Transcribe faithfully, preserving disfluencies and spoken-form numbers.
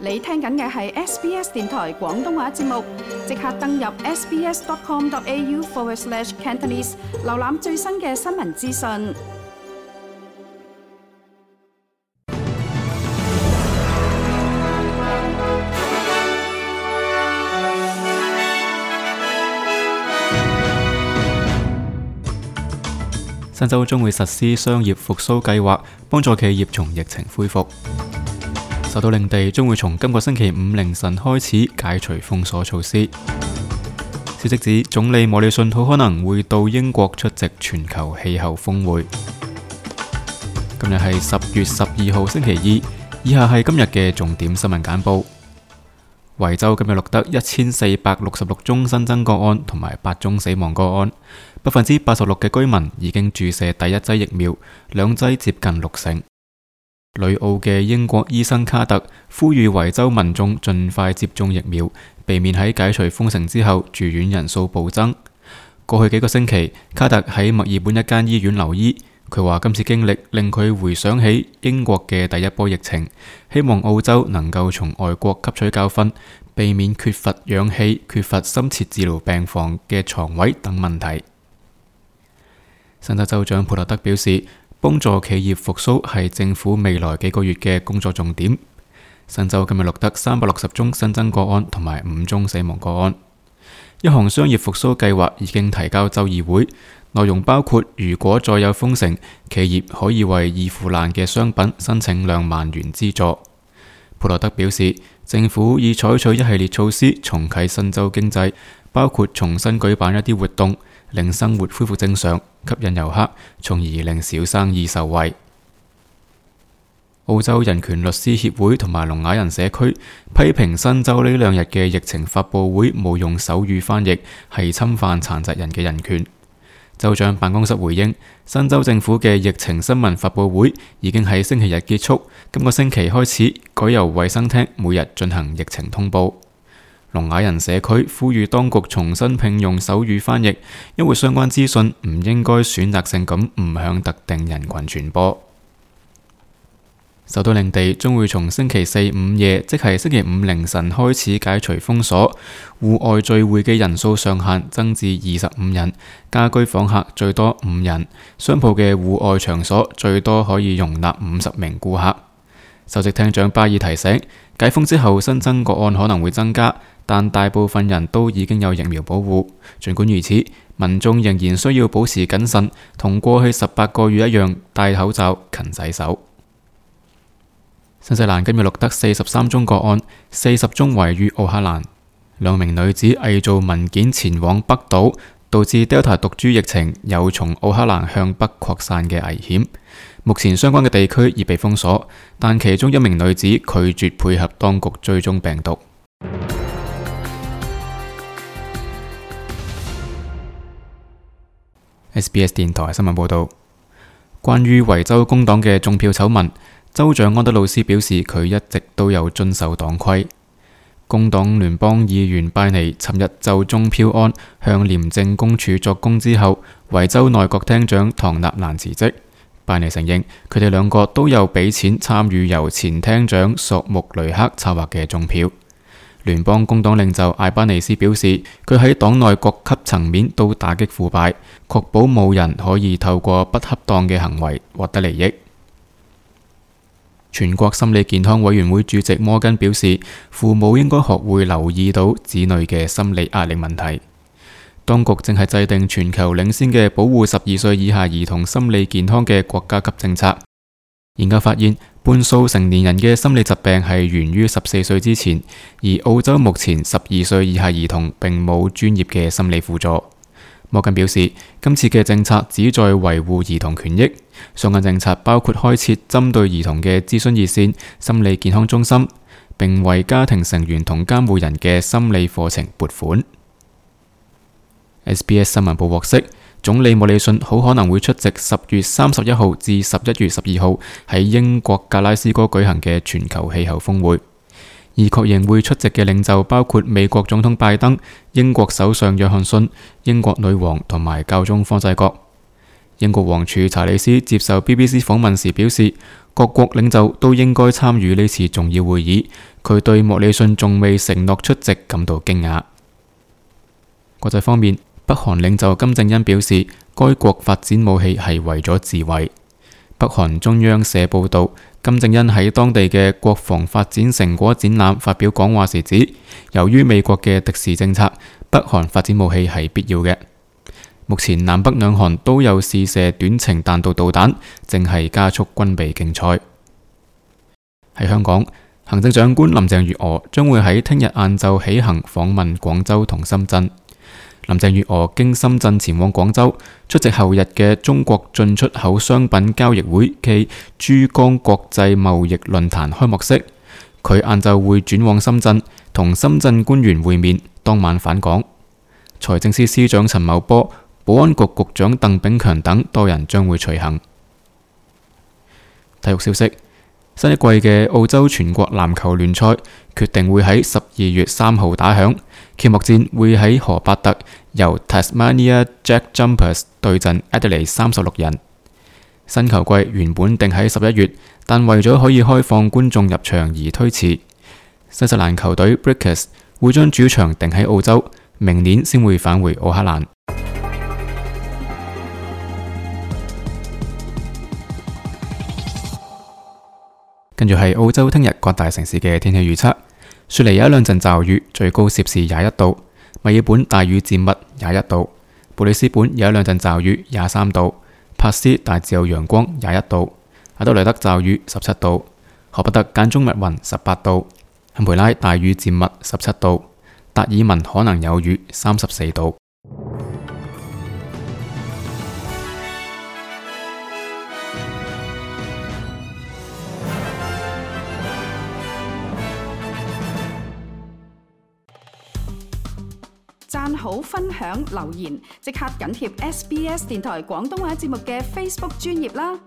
你聽緊嘅係 S B S 電台廣東話節目，即刻登入 sbs.com.au forward slash Cantonese， 瀏覽最新嘅新聞資訊。新州將會實施商業復甦計劃，幫助企業從疫情恢復。首都領地將會從今個星期五凌晨開始解除封鎖措施。消息指，總理莫里遜好可能會到英國出席全球氣候峰會。今日係十月十二號星期二，以下係今日嘅重點新聞簡報。維州今日錄得一千四百六十六宗新增個案同埋八宗死亡個案，百分之八十六嘅居民已經注射第一劑疫苗，兩劑接近六成。旅澳嘅英國醫生卡特呼籲維州民眾盡快接種疫苗，避免喺解除封城之後住院人數暴增。過去幾個星期，卡特喺墨爾本一間醫院留醫，佢話今次經歷令佢回想起英國嘅第一波疫情，希望澳洲能夠從外國吸取教訓，避免缺乏氧氣、缺乏深切治療病房嘅床位等問題。新州州長普特德表示，幫助企業復甦係政府未來幾個月嘅工作重點。新州今日錄得三百六十宗新增個案同埋五宗死亡個案。一項商業復甦計劃已經提交州議會，內容包括如果再有封城，企業可以為易腐爛嘅商品申請兩萬元資助。普特德表示，政府已採取一系列措施重啟新州經濟，包括重新舉辦一啲活動，令生活恢復正常，吸引遊客，從而令小生意受惠。澳洲人權律師協會同埋聾啞人社區批評新州呢兩日嘅疫情發佈會冇用手語翻譯，係侵犯殘疾人嘅人權。州長辦公室回應，新州政府嘅疫情新聞發佈會已經喺星期日結束，今個星期開始改由衛生廳每日進行疫情通報。聾啞人社區呼籲當局重新聘用手語翻譯，因為相關資訊唔應該選擇性咁唔向特定人群傳播。首都領地將會從星期四午夜，即係星期五凌晨開始解除封鎖，戶外聚會嘅人數上限增至二十五人，家居訪客最多五人，商鋪嘅戶外場所最多可以容納五十名顧客。首席廳長巴爾提醒，解封之後新增個案可能會增加，但大部分人都已經有疫苗保護。儘管如此，民眾仍然需要保持謹慎，同過去十八個月一樣戴口罩、勤洗手。新西蘭今日錄得四十三宗個案，四十宗位於奧克蘭。兩名女子偽造文件前往北島，導致 Delta 毒株疫情有從奧克蘭向北擴散嘅危險。目前相關嘅地區已被封鎖，但其中一名女子拒絕配合當局追蹤病毒。S B S 電台新聞報道，關於維州工黨嘅中票醜聞，州長安德魯斯表示佢一直都有遵守黨規。工黨聯邦議員拜尼尋日就中票案向廉政公署作供之後，維州內閣廳長唐納蘭辭職。拜尼承認佢哋兩個都有俾錢參與由前廳長索穆雷克策劃嘅中票。聯邦工黨領袖艾巴尼斯表示，佢喺黨內各級層面都打擊腐敗，確保冇人可以透過不恰當嘅行為獲得利益。全國心理健康委員會主席摩根表示，父母應該學會留意到子女嘅心理壓力問題。當局正係制定全球領先嘅保護十二歲以下兒童心理健康嘅國家級政策。研究發現，半數成年人嘅心理疾病係源於十四歲之前，而澳洲目前十二歲以下兒童並冇專業嘅心理輔助。摩根表示，今次嘅政策旨在維護兒童權益，相關政策包括開設針對兒童嘅諮詢熱線、心理健康中心，並為家庭成員同監護人嘅心理課程撥款。S B S 新聞部獲悉，總理莫里遜好可能會出席十月三十一號至十一月十二號喺英國格拉斯哥舉行嘅全球氣候峰會，而確認會出席嘅領袖包括美國總統拜登、英國首相約翰遜、英國女王同埋教宗方濟各。英國王儲查理斯接受 B B C 訪問時表示，各國領袖都應該參與呢次重要會議。佢對莫里遜仲未承諾出席感到驚訝。國際方面，北韓領袖金正恩表示，該國發展武器係為咗自衛。北韓中央社報道，金正恩喺當地嘅國防發展成果展覽發表講話時指，由於美國嘅敵視政策，北韓發展武器係必要嘅。目前南北兩韓都有試射短程彈道導彈，正係加速軍備競賽。喺香港，行政長官林鄭月娥將會喺聽日晏晝起行訪問廣州同深圳。林鄭月娥經深圳前往廣州出席後日嘅中國進出口商品交易會暨珠江國際貿易論壇開幕式。佢晏晝會轉往深圳同深圳官員會面，當晚返港。財政司司長陳茂波、保安局局長鄧炳強等多人將會隨行。體育消息：新一季嘅澳洲全國籃球聯賽決定會喺十二月三號打響，揭幕戰會喺荷伯特由 Tasmania Jack Jumpers 對陣 Adelaide 三十六人。新球季原本定喺十一月，但為咗可以開放觀眾入場而推遲。新西蘭球隊 Breakers 會將主場定喺澳洲，明年先會返回奧克蘭。跟住係澳洲聽日各大城市嘅天氣預測：雪梨有一兩陣驟雨，最高攝氏廿一度；墨爾本大雨漸密，廿一度；布里斯本有一兩陣驟雨，廿三度；珀斯大致有陽光，廿一度；阿德萊德驟雨，十七度；荷伯特間中密雲，十八度；坎培拉大雨漸密，十七度；達爾文可能有雨，三十四度。讚好、分享、留言，即刻緊貼 S B S 電台廣東話節目嘅 Facebook 專頁啦！